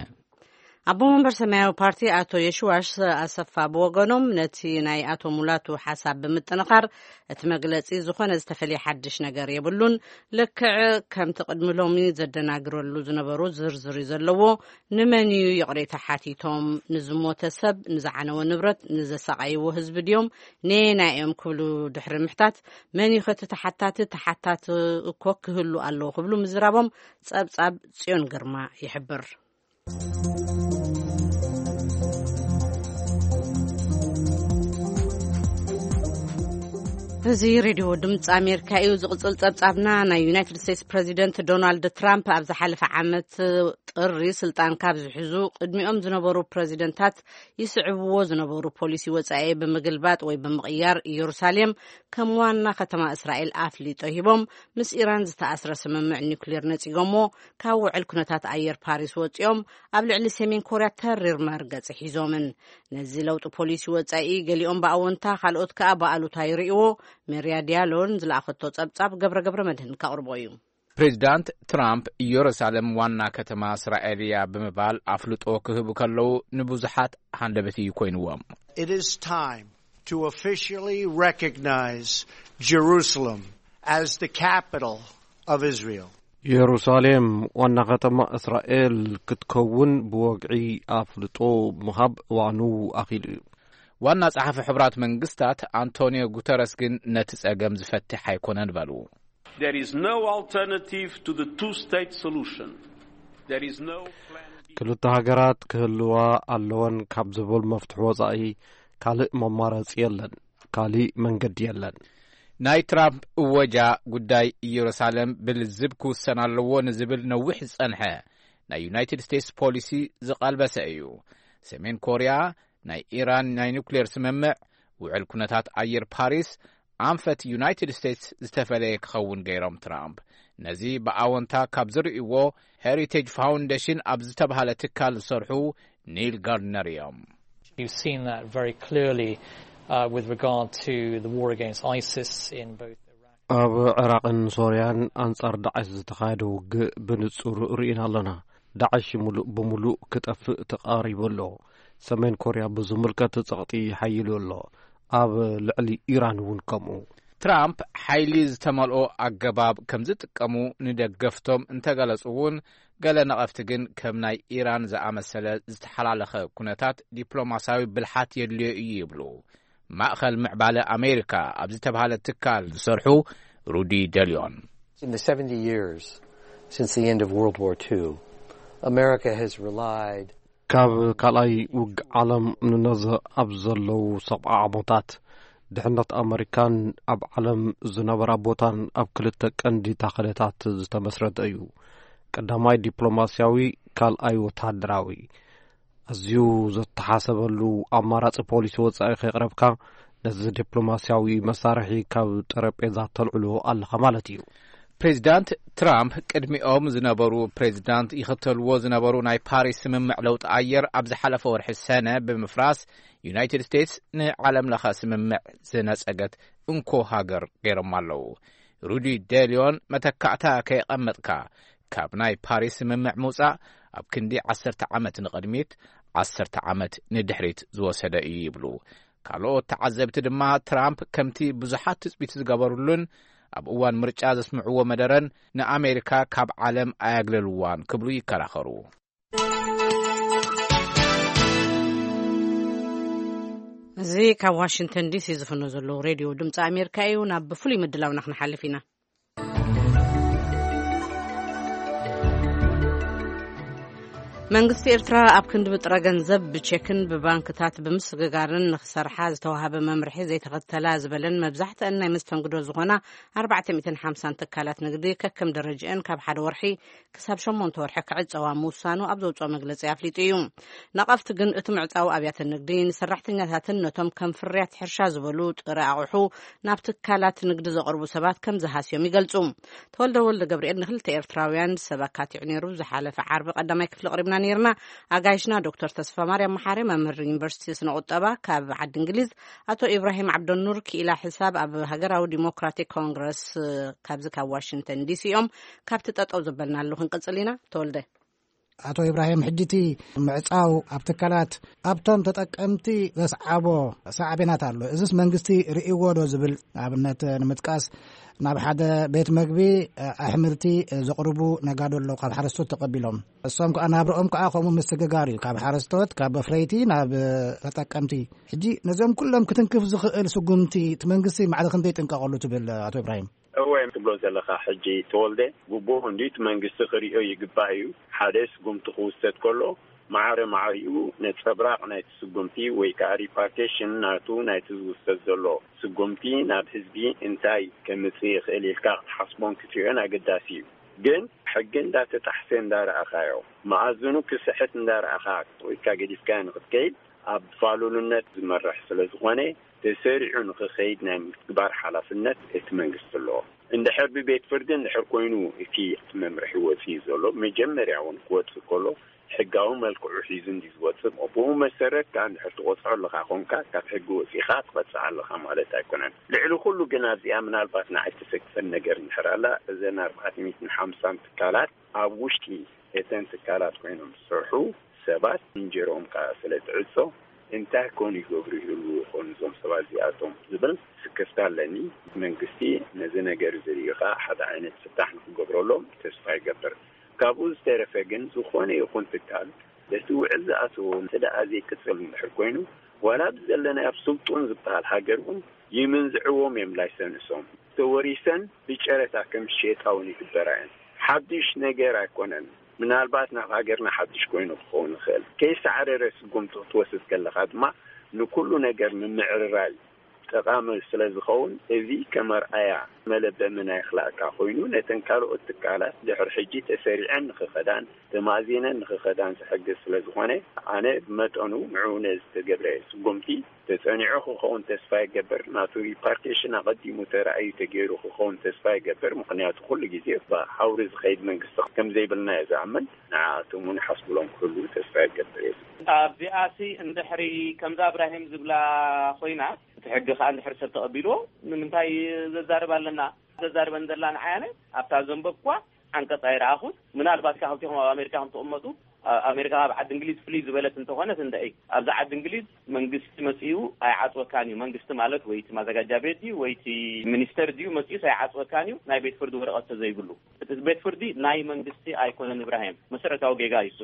ኣቦ መንበር ሰማያዊ ፓርቲ ኣቶ የሽዋሽ ኣሰፋ ብወገኖም፣ ነቲ ናይ ኣቶ ሙላቱ ሓሳብ ብምጥንኻር፣ እቲ መግለጺ ዝኾነ ዝተፈልየ ሓድሽ ነገር የብሉን፣ ልክዕ ከምቲ ቅድሚ ሎሚ ዘደናግረሉ ዝነበሩ ዝርዝር እዩ ዘለዎ። ንመን እዩ ይቕሬታ ሓቲቶም? ንዝሞተ ሰብ፣ ንዝዓነወ ንብረት፣ ንዘሳቐይዎ ህዝቢ ድዮም? ነየናይ እዮም ክብሉ ድሕሪ ምሕታት፣ መን እዩ ከቲ ተሓታቲ? ተሓታቲ እኮ ክህሉ ኣለዎ ክብሉ ምዝራቦም ጸብጻብ ጽዮን ግርማ ይሕብር። እዚ ሬድዮ ድምፂ ኣሜሪካ እዩ። ዝቕፅል ጸብጻብና፣ ናይ ዩናይትድ ስቴትስ ፕረዚደንት ዶናልድ ትራምፕ ኣብ ዝሓለፈ ዓመት ጥሪ ስልጣን ካብ ዝሕዙ ቅድሚኦም ዝነበሩ ፕረዚደንታት ይስዕብዎ ዝነበሩ ፖሊሲ ወጻኢ ብምግልባጥ ወይ ብምቕያር፣ ኢየሩሳሌም ከም ዋና ከተማ እስራኤል ኣፍሊጦ ሂቦም፣ ምስ ኢራን ዝተኣስረ ስምምዕ ኒውክሌር ነጺጎሞ፣ ካብ ውዕል ኩነታት ኣየር ፓሪስ ወጺኦም፣ ኣብ ልዕሊ ሰሜን ኮርያ ተሪር መርገጺ ሒዞምን። ነዚ ለውጢ ፖሊሲ ወጻኢ ገሊኦም ብኣወንታ፣ ካልኦት ከኣ ብኣሉታ ይርእይዎ። ሜርያ ዲያሎን ዝለኣኸቶ ጸብጻብ ገብረ ገብረ መድህን ከቕርቦ እዩ። ፕሬዚዳንት ትራምፕ ኢየሩሳሌም ዋና ከተማ እስራኤል እያ ብምባል ኣፍልጦ ክህቡ ከለዉ ንብዙሓት ሃንደበት እዩ ኮይንዎም። It is time to officially recognize Jerusalem as the capital of Israel. ኢየሩሳሌም ዋና ከተማ እስራኤል ክትከውን ብወግዒ ኣፍልጦ ምሃብ እዋኑ ኣኺሉ እዩ። ዋና ጸሓፊ ሕቡራት መንግስታት ኣንቶኒዮ ጉተረስ ግን ነቲ ጸገም ዝፈትሕ ኣይኮነን በሉ። There is no alternative to the two-state solution. There is no plan B. ክልተ ሃገራት ክህልዋ ኣለወን ካብ ዝብል መፍትሒ ወጻኢ ካልእ መማረጺ የለን፣ ካልእ መንገዲ የለን። ናይ ትራምፕ እወጃ ጉዳይ ኢየሩሳሌም ብልዝብ ክውሰን ኣለዎ ንዝብል ነዊሕ ዝጸንሐ ናይ ዩናይትድ ስቴትስ ፖሊሲ ዝቐልበሰ እዩ። ሰሜን ኮርያ ናይ ኢራን ናይ ኑክሌር ስምምዕ፣ ውዕል ኩነታት ኣየር ፓሪስ፣ ኣንፈት ዩናይትድ ስቴትስ ዝተፈለየ ክኸውን ገይሮም ትራምፕ። ነዚ ብኣወንታ ካብ ዝርእይዎ፣ ሄሪቴጅ ፋውንዴሽን ኣብ ዝተባህለ ትካል ዝሰርሑ ኒል ጋርድነር እዮም። You've seen that very clearly, uh, with regard to the war against ISIS in both Iraq. ኣብ ዕራቕን ሶርያን ኣንጻር ዳዕሽ ዝተኻየደ ውግእ ብንጹር ርኢና ኣለና። ዳዕሽ ሙሉእ ብሙሉእ ክጠፍእ ተቓሪቡ ኣሎ። ሰሜን ኮርያ ብዝምልከት ጸቕጢ ሓይሉ ኣሎ። ኣብ ልዕሊ ኢራን እውን ከምኡ። ትራምፕ ሓይሊ ዝተመልኦ ኣገባብ ከም ዝጥቀሙ ንደገፍቶም እንተገለጹ እውን፣ ገለ ነቐፍቲ ግን ከም ናይ ኢራን ዝኣመሰለ ዝተሓላለኸ ኩነታት ዲፕሎማስያዊ ብልሓት የድልዮ እዩ ይብሉ። ማእኸል ምዕባለ ኣሜሪካ ኣብ ዝተብሃለ ትካል ዝሰርሑ ሩዲ ደልዮን። In the seventy years since the end of World War two, America has relied ካብ ካልኣይ ውግእ ዓለም ንነዘ ኣብ ዘለዉ ሰብዓ ዓመታት ድሕነት ኣመሪካን ኣብ ዓለም ዝነበራ ቦታን ኣብ ክልተ ቀንዲ ታኸለታት ዝተመስረተ እዩ። ቀዳማይ ዲፕሎማስያዊ፣ ካልኣይ ወተሃደራዊ። ኣዝዩ ዘተሓሰበሉ ኣማራጺ ፖሊሲ ወጻኢ ከይቕረብካ ነዚ ዲፕሎማስያዊ መሳርሒ ካብ ጠረጴዛ ተልዕሎ ኣለኻ ማለት እዩ። ፕሬዚዳንት ትራምፕ ቅድሚኦም ዝነበሩ ፕሬዚዳንት ይኽተልዎ ዝነበሩ ናይ ፓሪስ ስምምዕ ለውጢ ኣየር ኣብ ዝሓለፈ ወርሒ ሰነ ብምፍራስ ዩናይትድ ስቴትስ ንዓለም ለኸ ስምምዕ ዝነጸገት እንኮ ሃገር ገይሮም ኣለዉ። ሩዲ ደልዮን መተካእታ ከየቐመጥካ ካብ ናይ ፓሪስ ስምምዕ ምውጻእ ኣብ ክንዲ ዓሰርተ ዓመት ንቕድሚት፣ ዓሰርተ ዓመት ንድሕሪት ዝወሰደ እዩ ይብሉ። ካልኦት ተዓዘብቲ ድማ ትራምፕ ከምቲ ብዙሓት ትጽቢት ዝገበሩሉን ኣብ እዋን ምርጫ ዘስምዕዎ መደረን ንኣሜሪካ ካብ ዓለም ኣያግለልዋን ክብሉ ይከራኸሩ። እዚ ካብ ዋሽንግተን ዲሲ ዝፍኖ ዘለዉ ሬድዮ ድምፂ ኣሜሪካ እዩ። ናብ ፍሉይ ምድላውና ክንሓልፍ ኢና። መንግስቲ ኤርትራ ኣብ ክንዲ ብጥረ ገንዘብ ብቼክን ብባንክታት ብምስግጋርን ንክሰርሓ ዝተዋሃበ መምርሒ ዘይተኸተላ ዝበለን መብዛሕትአን ናይ መስተንግዶ ዝኾና ኣርባዕተ ሚእትን ሓምሳን ትካላት ንግዲ ከከም ደረጃአን ካብ ሓደ ወርሒ ክሳብ ሸሞንተ ወርሒ ክዕጸዋ ምውሳኑ ኣብ ዘውጽኦ መግለጺ ኣፍሊጡ እዩ። ነቐፍቲ ግን እቲ ምዕጻው ኣብያተ ንግዲ ንሰራሕተኛታትን ነቶም ከም ፍርያት ሕርሻ ዝበሉ ጥረ ኣቑሑ ናብ ትካላት ንግዲ ዘቕርቡ ሰባት ከም ዝሃስዮም ይገልጹ። ተወልደ ወልደ ገብርኤል ንክልተ ኤርትራውያን ሰብ ኣካቲዑ ነይሩ። ዝሓለፈ ዓርቢ ቀዳማይ ክፍሊ ኣቕሪብና ነይርና። ኣጋይሽና ዶክተር ተስፋ ማርያም መሓሪ መምህር ዩኒቨርሲቲ ስነ ቁጠባ ካብ ዓዲ እንግሊዝ፣ ኣቶ ኢብራሂም ዓብደኑር ክኢላ ሕሳብ ኣብ ሃገራዊ ዲሞክራቲክ ኮንግረስ ካብዚ ካብ ዋሽንግተን ዲሲ እዮም። ካብቲ ጠጠው ዘበልናሉ ክንቅጽል ኢና። ተወልደ። ኣቶ ኢብራሂም፣ ሕጂ እቲ ምዕጻው ኣብ ትካላት ኣብቶም ተጠቀምቲ ዘስዓቦ ሳዕቤናት ኣሎ። እዝስ መንግስቲ ርእይዎ ዶ ዝብል ኣብነት ንምጥቃስ፣ ናብ ሓደ ቤት መግቢ ኣሕምልቲ ዘቕርቡ ነጋዶ ኣለዉ፣ ካብ ሓረስቶት ተቐቢሎም። እሶም ከኣ ናብርኦም ከኣ ከምኡ ምስግጋር እዩ፣ ካብ ሓረስቶት፣ ካብ ኣፍረይቲ ናብ ተጠቀምቲ። ሕጂ ነዚኦም ኩሎም ክትንክፍ ዝኽእል ስጉምቲ እቲ መንግስቲ ማዕረ ክንደይ ይጥንቀቐሉ ትብል ኣቶ ኢብራሂም? እወ፣ ትብሎ ዘለኻ ሕጂ ተወልደ፣ ግቡእ እንድዩ፣ እቲ መንግስቲ ክርእዮ ይግባእ እዩ። ሓደ ስጉምቲ ክውሰድ ከሎ ማዕረ ማዕሪኡ ነጸብራቕ ናይቲ ስጉምቲ ወይ ከኣ ሪፓርቴሽን ናቱ ናይቲ ዝውሰድ ዘሎ ስጉምቲ ናብ ህዝቢ እንታይ ከምጽእ ይኽእል ኢልካ ክትሓስቦን ክትርእዮን ኣገዳሲ እዩ። ግን ሕጊ እንዳተጣሕሰ እንዳረኣኻዮ፣ መኣዝኑ ክስሕት እንዳረኣኻ ኢልካ ገዲፍካዮ ንኽትከይድ ኣብ ፋሉልነት ዝመርሕ ስለ ዝኾነ፣ ተሰሪዑ ንኽኸይድ ናይ ምትግባር ሓላፍነት እቲ መንግስቲ ኣለዎ። እንድሕር ብቤት ፍርዲ እንድሕር ኮይኑ እቲ መምርሒ ወፂኡ ዘሎ፣ መጀመርያ እውን ክወፅእ ከሎ ሕጋዊ መልክዑ ሒዙ እንዲ ዝወፅእ፣ ብኡ መሰረት ከዓ እንድሕር ትቆፅዖ ኣለካ ኮንካ፣ ካብ ሕጊ ወፂእካ ትቐፅዕ ኣለካ ማለት ኣይኮነን። ልዕሊ ኩሉ ግን ኣብዚኣ ምናልባት ንዓይ ተሰክፈን ነገር እንድሕር ኣላ፣ እዘን ኣርባዕተ ሚእትን ሓምሳን ትካላት ኣብ ውሽጢ እተን ትካላት ኮይኖም ዝሰርሑ ሰባት እንጀርኦም ከዓ ስለ ትዕጾ፣ እንታይ ኮን ይገብሩ ይህልዉ ይኾኑ እዞም ሰባት እዚኣቶም ዝብል ስክፍታ ኣለኒ። መንግስቲ ነዚ ነገር እዚ ሪኡ ከዓ ሓደ ዓይነት ፍታሕ ንክገብረሎም ተስፋ ይገብር። ካብኡ ዝተረፈ ግን ዝኾነ ይኹን ትካል በቲ ውዕል ዝኣተዎ እንተ ደኣ ዘይቅጽል እንድሕር ኮይኑ፣ ዋላ ኣብዚ ዘለናዮ ኣብ ስልጡን ዝበሃል ሃገር እውን ይምንዝዕዎም እዮም ላይሰንሶም። ተወሪሰን ብጨረታ ከም ዝሸጣ እውን ይግበራ እየን። ሓድሽ ነገር ኣይኮነን። ምናልባት ናብ ሃገርና ሓድሽ ኮይኑ ክኸውን ይኽእል። ከይሳዕረረ ስጉምቲ ክትወስድ ከለኻ ድማ ንኩሉ ነገር ምምዕርራይ ጠቓሚ ስለ ዝኸውን፣ እዚ ከም ኣርኣያ መለበሚ ናይ ክላእካ ኮይኑ ነተን ካልኦት ትካላት ድሕሪ ሕጂ ተሰሪዐን ንኽኸዳን ተማእዚነን ንኽኸዳን ዝሕግዝ ስለ ዝኾነ፣ ኣነ ብመጠኑ ንዕኡ ነዚ ዝተገብረ ስጉምቲ ተጸኒዑ ክኸውን ተስፋ ይገብር። ናቱ ሪፓርቴሽን ኣቐዲሙ ተራእዩ ተገይሩ ክኸውን ተስፋ ይገብር። ምኽንያቱ ኩሉ ግዜ ብኣውሪ ዝኸይድ መንግስቲ ከም ዘይብልና እየ ዝኣምን። ንዓኣቶም እውን ሓስብሎም ክህልዉ ተስፋ ይገብር እየ። ኣብዚኣሲ እንድሕሪ ከምዛ እብራሂም ዝብላ ኮይና፣ እቲ ሕጊ ከኣ እንድሕሪ ሰብ ተቐቢልዎ፣ ንምንታይ ዘዛርብ ኣለና? ዘዛርበን ዘላ ንዓይ ኣነ ኣብታ ዘንበብኳ ዓንቀጽ ኣይረኣኹን። ምናልባት ከኣ ክልቲኹም ኣብ ኣሜሪካ ከም ትቕመጡ፣ ኣብ ኣሜሪካ ካብ ዓዲ እንግሊዝ ፍልይ ዝበለት እንተኾነት እንድዒ፣ ኣብዚ ዓዲ እንግሊዝ መንግስቲ መጺኡ ኣይዓጽወካን እዩ። መንግስቲ ማለት ወይ እቲ ማዘጋጃ ቤት ድዩ ወይ እቲ ሚኒስተር ድዩ መጺኡስ ኣይዓጽወካን እዩ፣ ናይ ቤት ፍርዲ ወረቐት ተዘይብሉ። እቲ ቤት ፍርዲ ናይ መንግስቲ ኣይኮነን እብራሂም፣ መሰረታዊ ጌጋ እዩ እሱ።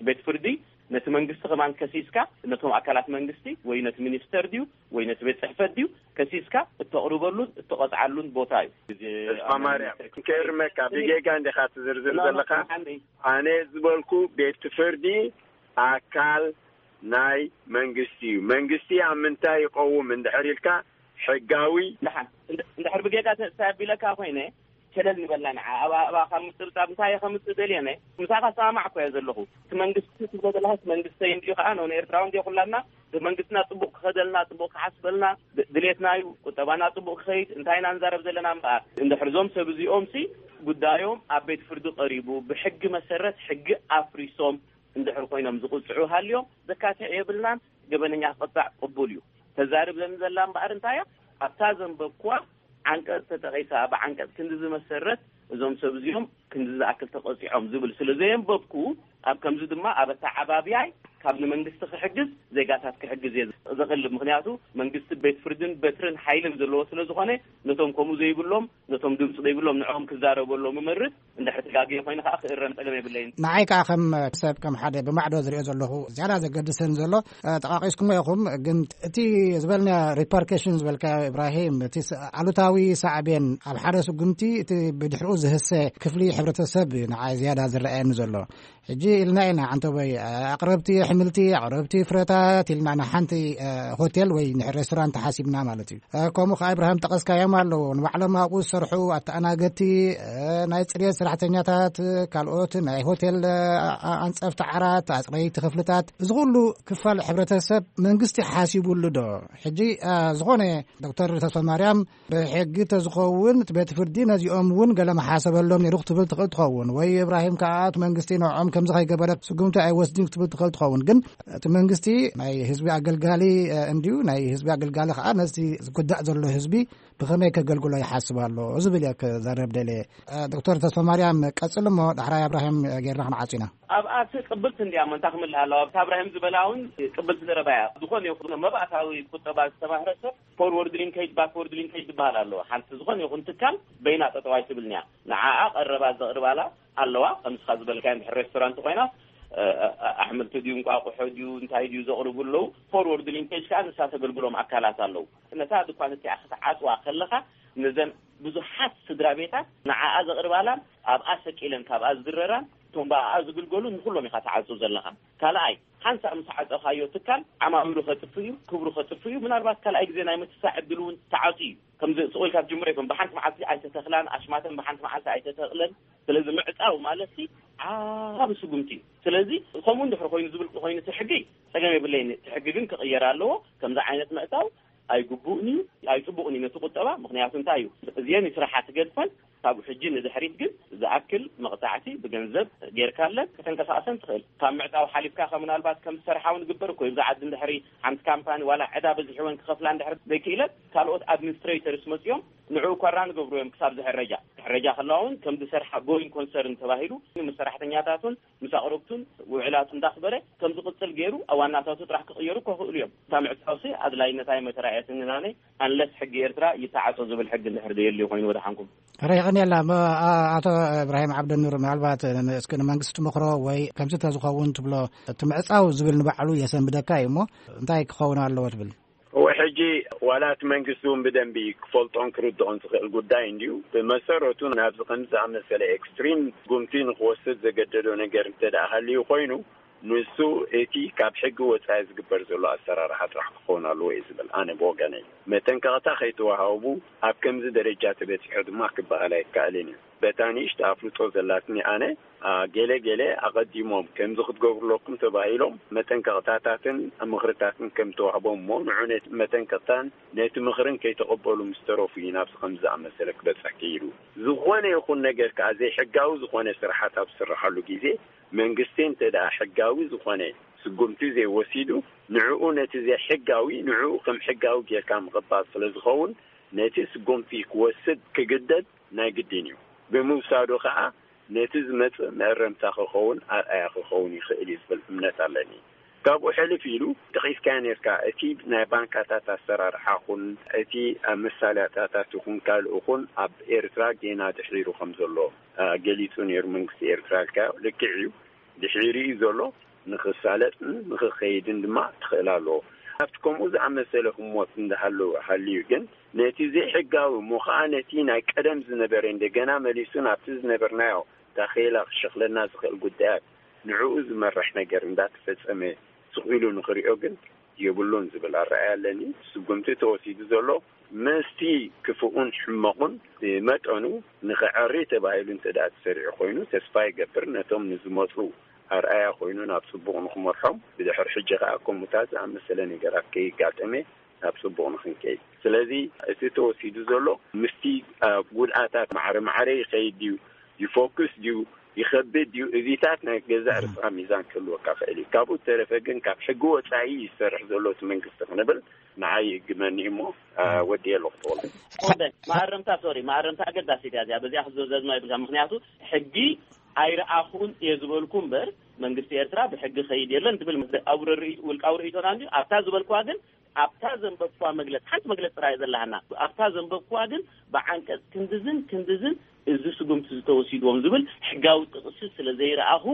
ቤት ፍርዲ ነቲ መንግስቲ ከማን ከሲስካ፣ ነቶም ኣካላት መንግስቲ ወይ ነቲ ሚኒስተር ድዩ ወይ ነቲ ቤት ጽሕፈት ድዩ ከሲስካ እተቕርበሉን እተቐጽዓሉን ቦታ እዩ። ተስፋ ማርያም፣ ከርመካ ብጌጋ እንዲኻ ትዝርዝር ዘለኻ። ኣነ ዝበልኩ ቤት ፍርዲ ኣካል ናይ መንግስቲ እዩ። መንግስቲ ኣብ ምንታይ ይቐውም እንድሕር ኢልካ፣ ሕጋዊ። ደሓን እንድሕር ብጌጋ ተሳቢለካ ኮይነ፣ ሸለል ንበላ ንዓ። ኣብ ኣባ ካብ ምጥብጣብ እንታይ ከምጽእ ደልየነ? ምሳኻ ሰማማዕ እኮ እየ ዘለኹ። እቲ መንግስቲ ትብሎ ዘለኻ መንግስተይ እንዲዩ፣ ከዓ ኖን ኤርትራዊ እንዲዮ ኩላና። መንግስትና ጽቡቕ ክኸደልና፣ ጽቡቕ ክሓስበልና ድሌትና እዩ። ቁጠባና ጽቡቕ ክኸይድ እንታይ ኢና ንዛረብ ዘለና እምበኣር፣ እንድሕር ዞም ሰብ እዚኦም ሲ ጉዳዮም ኣብ ቤት ፍርዲ ቀሪቡ፣ ብሕጊ መሰረት ሕጊ ኣፍሪሶም እንድሕር ኮይኖም ዝቕጽዑ ሃልዮም፣ ዘካትዕ የብልናን። ገበነኛ ክቕጻዕ ቅቡል እዩ። ተዛርብ ዘን ዘላ እምበኣር እንታይ እያ? ኣብታ ዘንበብኩዋ ዓንቀጽ ተጠቒሳ፣ ብዓንቀጽ ክንዲ ዝመሰረት እዞም ሰብ እዚኦም ክንዲ ዝኣክል ተቐጺዖም ዝብል ስለ ዘየንበብኩ፣ ኣብ ከምዚ ድማ ኣብ ኣተዓባብያይ ካብ ንመንግስቲ ክሕግዝ ዜጋታት ክሕግዝ እየ ዘቕልብ። ምክንያቱ መንግስቲ ቤት ፍርድን በትርን ሓይልን ዘለዎ ስለ ዝኾነ፣ ነቶም ከምኡ ዘይብሎም፣ ነቶም ድምፂ ዘይብሎም ንዕኦም ክዛረበሎም እመርጽ። እንድሕር ተጋግየ ኮይኑ ከዓ ክእረም ጸገም የብለይን። ንዓይ ከዓ ከም ሰብ፣ ከም ሓደ ብማዕዶ ዝሪኦ ዘለኹ፣ ዝያዳ ዘገድሰኒ ዘሎ፣ ጠቃቂስኩሞ ኢኹም፣ ግን እቲ ዝበልናዮ ሪፐርኬሽን ዝበልካዮ፣ ኢብራሂም፣ እቲ ኣሉታዊ ሳዕቤን ኣብ ሓደ ስጉምቲ እቲ ብድሕሪኡ ዝህሰ ክፍሊ ሕብረተሰብ እዩ ንዓይ ዝያዳ ዝረኣየኒ ዘሎ። ሕጂ ኢልና ኢና፣ ዓንተቦይ፣ ኣቅረብቲ ኣሕምልቲ፣ ኣቅረብቲ ፍረታት ኢልና ንሓንቲ ሆቴል ወይ ሬስቶራንት ሓሲብና ማለት እዩ። ከምኡ ከዓ፣ ኢብራሂም፣ ጠቀስካዮም ኣለዉ፣ ንባዕሎም ኣብኡ ዝሰርሑ ኣተኣናገድቲ፣ ናይ ፅሬት ሰራሕተኛታት፣ ካልኦት ናይ ሆቴል ኣንፀፍቲ ዓራት፣ ኣፅረይቲ ክፍልታት፣ እዚ ኩሉ ክፋል ሕብረተሰብ መንግስቲ ሓሲቡሉ ዶ? ሕጂ ዝኾነ፣ ዶክተር ተስፋማርያም፣ ብሕጊ ተዝኸውን እቲ ቤት ፍርዲ ነዚኦም እውን ገለ መሓሰበሎም ነይሩ ክትብል ትኽእል ትኸውን፣ ወይ እብራሂም ከዓ እቲ መንግስቲ ንዕኦም ከምዚ ከይገበረ ስጉምቲ ኣይወስድን ክትብል ትኽእል ትኸውን። ግን እቲ መንግስቲ ናይ ህዝቢ ኣገልጋሊ እንድዩ፣ ናይ ህዝቢ ኣገልጋሊ ከዓ ነዚ ዝጉዳእ ዘሎ ህዝቢ ብኸመይ ከገልግሎ ይሓስብ ኣሎ ዝብል እየ ክዛረብ ደልየ። ዶክተር ተስፋማርያም፣ ቀፅል እሞ ዳሕራይ እብራሂም ጌርና ክንዓፁ ኢና። ኣብኣ እቲ ቅብልቲ እንድያ እሞ እንታይ ክምልእ ኣለዋ? ኣብታ እብራሂም ዝበላ እውን ቅብልቲ ዘረባ እያ። ዝኾነ ይኹን መባእታዊ ቁጠባ ዝተማህረ ሰብ ፎርወርድ ሊንኬጅ፣ ባክወርድ ሊንኬጅ ዝበሃል ኣለዎ። ሓንቲ ዝኾነ ይኹን ትካል በይና ጠጠው ኣይትብልን እያ። ንዓኣ ቀረባት ዘቕርባላ ኣለዋ። ከምስኻ ዝበልካዮ እንድሕር ሬስቶራንት ኮይና፣ ኣሕምልቲ ድዩ፣ እንቋቑሖ ድዩ፣ እንታይ ድዩ ዘቕርቡ ኣለዉ። ፎርወርድ ሊንኬጅ ከዓ ንሳ ተገልግሎም ኣካላት ኣለዉ። ነታ ድኳን እቲኣ ክትዓጽዋ ከለኻ፣ ነዘን ብዙሓት ስድራ ቤታት ንዓኣ ዘቕርባላን ኣብኣ ሰቂለን ካብኣ ዝድረራን እቶም ብኣኣ ዝግልገሉ ንኹሎም ኢኻ ትዓጹ ዘለኻ። ካልኣይ፣ ሓንሳእ ምስ ዓጸኻዮ ትካል ዓማዊሉ ከጥፍ እዩ፣ ክብሩ ከጥፍ እዩ። ምናልባት ካልኣይ ግዜ ናይ ምትሳዕ ዕድል እውን ተዓጹ እዩ። ከምዚ ስቕ ኢልካ ትጅምሮ ይኮን፣ ብሓንቲ መዓልቲ ኣይተተኽላን፣ ኣሽማተን ብሓንቲ መዓልቲ ኣይተተኽለን። ስለዚ ምዕጻው ማለት ሲ ዓቢ ስጉምቲ እዩ። ስለዚ ከምኡ እንድሕር ኮይኑ ዝብል ኮይኑ እቲ ሕጊ ጸገም የብለይን። እቲ ሕጊ ግን ክቕየር ኣለዎ። ከምዚ ዓይነት ምዕጻው ኣይግቡእን እዩ፣ ኣይጽቡቕን እዩ ነቲ ቁጠባ። ምክንያቱ እንታይ እዩ? እዚአን ስራሓት ገድፈን ካብ ሕጂ ንድሕሪት ግን ዝኣክል መቕጻዕቲ ብገንዘብ ጌርካለን ከተንቀሳቕሰን ትኽእል። ካብ ምዕጻው ሓሊፍካ ከ ምናልባት ከም ዝሰርሓ እውን ዝግበር እኮ እዩ። ኣብዚ ዓዲ እንድሕሪ ሓንቲ ካምፓኒ ዋላ ዕዳ በዚሕወን ክኸፍላ እንድሕር ዘይክእለት፣ ካልኦት ኣድሚኒስትሬተርስ መጺኦም ንዕኡ ኮራ ንገብሩ እዮም ክሳብ ዝሕረጃ። ክሕረጃ ከለዋ እውን ከም ዝሰርሓ ጎይንግ ኮንሰርን ተባሂሉ ምስ ሰራሕተኛታቱን ምስ ኣቕረብቱን ውዕላቱ እንዳኽበረ ከም ዝቕጽል ገይሩ ኣብ ዋናታቱ ጥራሕ ክቕየሩ እኮ ክእሉ እዮም። እታ ምዕጻውሲ ኣድላይነታ እየ መተራእየትኒ ናነይ፣ ኣንለስ ሕጊ ኤርትራ ይተዓጾ ዝብል ሕጊ እንድሕር ዘየልዩ ኮይኑ ወደሓንኩም። ርሕቕን የላ። ኣቶ እብራሂም ዓብደኑር፣ ምናልባት እስኪ ንመንግስቲ ትመኽሮ ወይ ከምዚ ተዝኸውን ትብሎ፣ እቲ ምዕጻው ዝብል ንባዕሉ የሰንብደካ እዩ እሞ እንታይ ክኸውን ኣለዎ ትብል? እወ፣ ሕጂ ዋላ እቲ መንግስቲ እውን ብደንቢ ክፈልጦን ክርድኦን ዝኽእል ጉዳይ እንድዩ። ብመሰረቱ ናብዚ ከምዚ ዝኣመሰለ ኤክስትሪም ጉምቲ ንክወስድ ዘገደዶ ነገር እንተ ደኣ ሃልዩ ኮይኑ፣ ንሱ እቲ ካብ ሕጊ ወጻኢ ዝግበር ዘሎ ኣሰራርሓ ጥራሕ ክኸውን ኣለዎ እየ ዝብል ኣነ ብወገነይ። መጠንቀቕታ ከይተዋሃቡ ኣብ ከምዚ ደረጃ ተበጺሑ ድማ ክበሃል ኣይከኣልን እዩ። በታ ንእሽቶ ኣፍልጦ ዘላትኒ ኣነ፣ ገለ ገለ ኣቐዲሞም ከምዚ ክትገብሩ ኣለኩም ተባሂሎም መጠንቀቕታታትን ምኽርታትን ከም ተዋህቦም እሞ ንዑ ነቲ መጠንቀቕታን ነቲ ምኽርን ከይተቐበሉ ምስ ተረፉ እዩ ናብዚ ከምዚ ዝኣመሰለ ክበጽሕ ክኢሉ። ዝኾነ ይኹን ነገር ከኣ ዘይሕጋዊ ዝኾነ ስራሓት ኣብ ዝስርሓሉ ግዜ መንግስቲ እንተ ደኣ ሕጋዊ ዝኾነ ስጉምቲ ዘይወሲዱ ንዕኡ ነቲ ዘይሕጋዊ ንዕኡ ከም ሕጋዊ ጌርካ ምቕባል ስለ ዝኸውን ነቲ ስጉምቲ ክወስድ ክግደድ ናይ ግድን እዩ። ብምውሳዱ ከኣ ነቲ ዝመጽእ መእረምታ ክኸውን ኣርኣያ ክኸውን ይኽእል እዩ ዝብል እምነት ኣለኒ። ካብኡ ሕልፍ ኢሉ ጠቒስካዮ ኔርካ፣ እቲ ናይ ባንካታት ኣሰራርሓ ኹን እቲ ኣብ መሳለጥያታት ይኹን ካልእ ኹን ኣብ ኤርትራ ጌና ድሒሩ ከም ዘሎ ገሊጹ ኔሩ መንግስቲ ኤርትራ ኢልካዮ። ልክዕ እዩ፣ ድሒሩ እዩ ዘሎ። ንኽሳለጥን ንኽኸይድን ድማ ትኽእል ኣለዎ። ኣብቲ ከምኡ ዝኣመሰለ ህሞት እንዳሃለወ ሃልዩ ግን፣ ነቲ ዘይሕጋዊ እሞ ኸዓ ነቲ ናይ ቀደም ዝነበረ እንደገና መሊሱ ናብቲ ዝነበርናዮ ታኼላ ክሸኽለና ዝኽእል ጉዳያት፣ ንዕኡ ዝመርሕ ነገር እንዳተፈጸመ ስቕ ኢሉ ንኽሪኦ ግን የብሉን ዝብል ኣረኣእያ ኣለኒ። ስጉምቲ ተወሲዱ ዘሎ ምስቲ ክፉኡን ሕመቑን ብመጠኑ ንኽዐሪ ተባሂሉ እንተ ደኣ ተሰሪዑ ኮይኑ፣ ተስፋ ይገብር ነቶም ንዝመጹ ኣርኣያ ኮይኑ ናብ ጽቡቕ ንኽመርሖም፣ ብድሕሪ ሕጂ ኸኣ ከምኡታት ዝኣመሰለ ነገራት ከይጋጠመ ናብ ጽቡቕ ንኽንከይድ። ስለዚ እቲ ተወሲዱ ዘሎ ምስቲ ኣብ ጉድኣታት ማዕረ ማዕረ ይኸይድ ድዩ፣ ይፎክስ ድዩ፣ ይኸብድ ድዩ፣ እዚታት ናይ ገዛእ ርእስኻ ሚዛን ክህልወካ ክእል እዩ። ካብኡ ተረፈ ግን ካብ ሕጊ ወጻኢ ይሰርሕ ዘሎ እቲ መንግስቲ ክንብል ንዓይ ይእግመኒ እሞ፣ አ፣ ወዲ የለኹ ተወልደ። ወደ መኣረምታ፣ ሶሪ፣ መኣረምታ ኣገዳሲት እያ እዚኣ። በዚኣ ክዘዘዝማ ይብልካ። ምኽንያቱ ሕጊ ኣይረኣኹን እየ ዝበልኩ እምበር፣ መንግስቲ ኤርትራ ብሕጊ ኸይድ የለን ትብል። ኣብ ርእይ-፣ ውልቃዊ ርእይቶና እንድዩ። ኣብታ ዝበልኩዋ ግን፣ ኣብታ ዘንበብኩዋ መግለጽ፣ ሓንቲ መግለጽ ጥራይ ዘለሃና። ኣብታ ዘንበብኩዋ ግን ብዓንቀጽ ክንድዝን ክንድዝን እዚ ስጉምቲ ዝተወሲድዎም ዝብል ሕጋዊ ጥቕሲ ስለ ዘይረኣኹ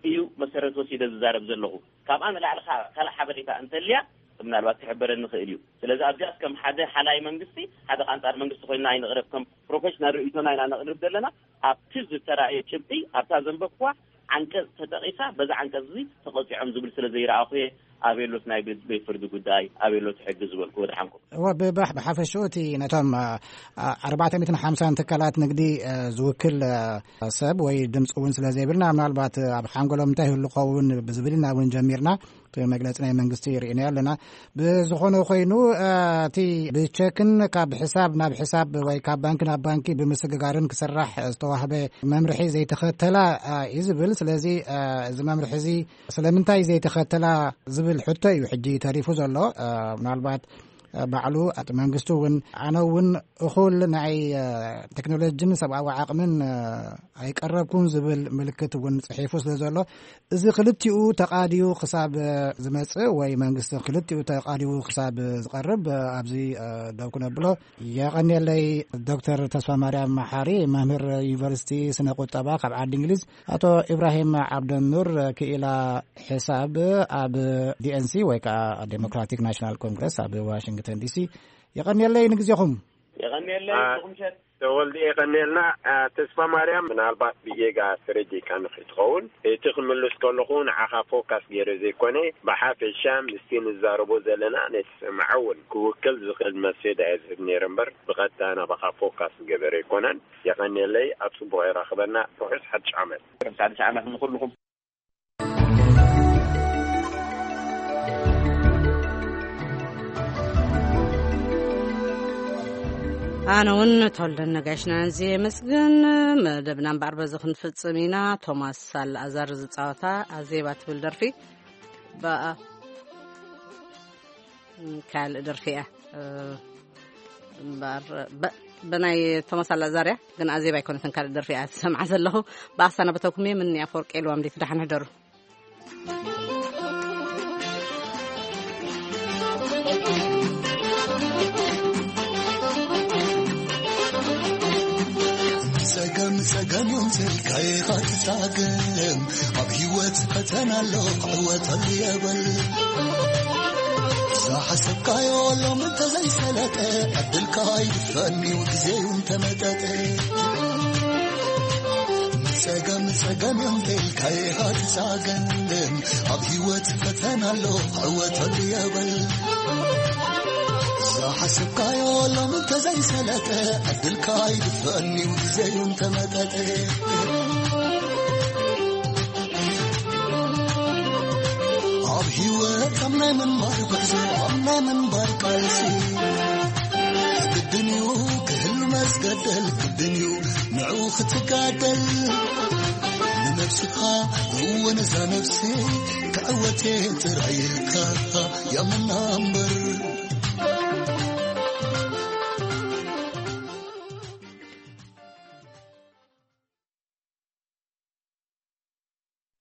እዩ መሰረት ወሲደ ዝዛረብ ዘለኹ። ካብኣ ንላዕሊ ካ-፣ ካልእ ሓበሬታ እንተልያ ምናልባት ክሕበረኒ ይኽእል እዩ። ስለዚ ኣብዚኣስ ከም ሓደ ሓላይ መንግስቲ፣ ሓደ ቃንጻር መንግስቲ ኮይንና ኣይንቕረብ፣ ከም ፕሮፌሽናል ርእይቶና ኢና ነቕርብ ዘለና። ኣብቲ ዝተራእየ ጭብጢ፣ ኣብታ ዘንበብኩዋ ዓንቀጽ ተጠቒሳ፣ በዛ ዓንቀጽ እዚ ተቐጺዖም ዝብል ስለ ዘይረኣኹ እየ፣ ኣበየሎት ናይ ቤት፣ ቤት ፍርዲ ጉዳይ፣ ኣበየሎት ሕጊ ዝበልኩ ወድሓንኩም። እወ፣ ብባሕ-፣ ብሓፈሽኡ እቲ ነቶም፣ አ፣ አ፣ ኣርባዕተ ሚእትን ሓምሳን ትካላት ንግዲ፣ አ፣ ዝውክል፣ አ፣ ሰብ ወይ ድምፂ እውን ስለ ዘይብልና፣ ምናልባት ኣብ ሓንጎሎም እንታይ ይህሉ ኸውን ብዝብል ኢና እውን ጀሚርና። እቲ መግለፂ ናይ መንግስቲ ርኢናዮ ኣለና። ብዝኾነ ኮይኑ፣ አ፣ እቲ ብቸክን ካብ ሕሳብ ናብ ሕሳብ ወይ ካብ ባንኪ ናብ ባንኪ ብምስግጋርን ክስራሕ ዝተዋህበ መምርሒ ዘይተኸተላ፣ አ፣ እዩ ዝብል። ስለዚ፣ አ፣ እዚ መምርሒ እዚ ስለምንታይ ዘይተኸተላ ዝብል ሕቶ እዩ ሕጂ ተሪፉ ዘሎ። አ፣ ምናልባት፣ አ፣ ባዕሉ እቲ መንግስቲ እውን፣ ኣነ እውን እኹል ናይ፣ አ፣ ቴክኖሎጂን ሰብኣዊ ዓቕምን፣ አ፣ ኣይቀረብኩን ዝብል ምልክት እውን ጽሒፉ ስለ ዘሎ፣ እዚ ክልቲኡ ተቓዲዩ ክሳብ ዝመጽእ ወይ መንግስቲ ክልቲኡ ተቓዲዩ ክሳብ ዝቐርብ ኣብዚ፣ እ፣ ደው ክነብሎ። የቐንየለይ ዶክተር ተስፋ ማርያም መሓሪ፣ መምህር ዩኒቨርሲቲ ስነ ቁጠባ ካብ ዓዲ እንግሊዝ፣ ኣቶ ኢብራሂም ዓብደኑር፣ ክኢላ ሕሳብ ኣብ ዲ ኤን ሲ ወይ ከዓ ዴሞክራቲክ ናሽናል ኮንግረስ ኣብ ዋሽንግተን ዲ ሲ። የቐንየለይ ንግዜኹም። የቐንየለይ አ- ንኹም ሸት። ተወልደ የቐንየልና። አ፣ ተስፋ ማርያም፣ ምናልባት ብጌጋ ተረዲእካኒ ከይትኸውን፣ እቲ ክምልስ ከለኹ ንዓኻ ፎካስ ገይረ ዘይኮነ፣ ብሓፈሻ ምስቲ ንዛረቦ ዘለና ነቲ ሰማዒ እውን ክውክል ዝኽእል መልሲ እየ ዝህብ ነይረ እምበር፣ ብቐጥታ ናባኻ ፎካስ ዝገበረ ኣይኮነን። የቐንየለይ፣ ኣብ ጽቡቕ የራኽበና። ርሑስ ሓድሽ ዓመት። ርሑስ ሓድሽ ዓመት ንኹልኹም። ኣነ እውን ተወልደን ነጋሽና እዚ የመስግን። መደብና እምበኣር በዚ ክንፍጽም ኢና። ቶማስ ኣልኣዛር ዝጻወታ ኣዜባ ትብል ደርፊ ብኣ ካልእ ደርፊ እያ። እ፣ እምበኣር፣ በ-፣ ብናይ ቶማስ ኣላዛርያ ግን ኣዜብ ኣይኮነትን ካልእ ደርፊ እያ ዝሰምዓ ዘለኹ። ብኣሳና በተኩም እየ። ምን ኣፈወርቂ ኢልዋም ዲት ደሓን ሕደሩ። ጸገም ጸገም እዮም ስልካ ኢኻ ትጻገም። ኣብ ህይወት ፈተና ኣሎ ክዕወተሉ የበል። ዝሓሰብካዮ ሎም እንተዘይሰለጠ፣ ዕድልካ ኣይድፈን እዩ ግዜ እዩ እንተመጠጠ። ጸገም ጸገም እዮም ኢልካ ኢኻ ትጻገም። ኣብ ህይወት ፈተና ኣሎ ክዕወተሉ የበል። ዝሓሰብካዮ ሎም እንተዘይሰለጠ፣ ዕድልካ ኣይድፈን እዩ ግዜ እዩ እንተመጠጠ። ኣብ ህይወት ኣብ ናይ ምንባር ጉዕዞ፣ ኣብ ናይ ምንባር ቃልሲ፣ ግድን እዩ ክህሉ መስገደል፣ ግድን እዩ ንዕኡ ክትጋደል። ንነብስኻ እወ ነዛ ነብሲ ክዕወት እየ ጥራይ ኢልካ ያምና እምበር።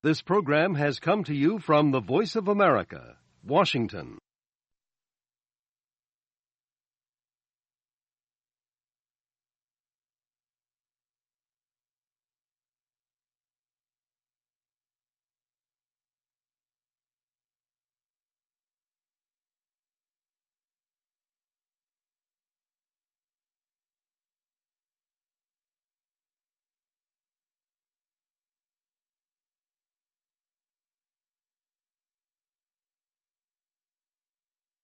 This program has come to you from the Voice of America, Washington.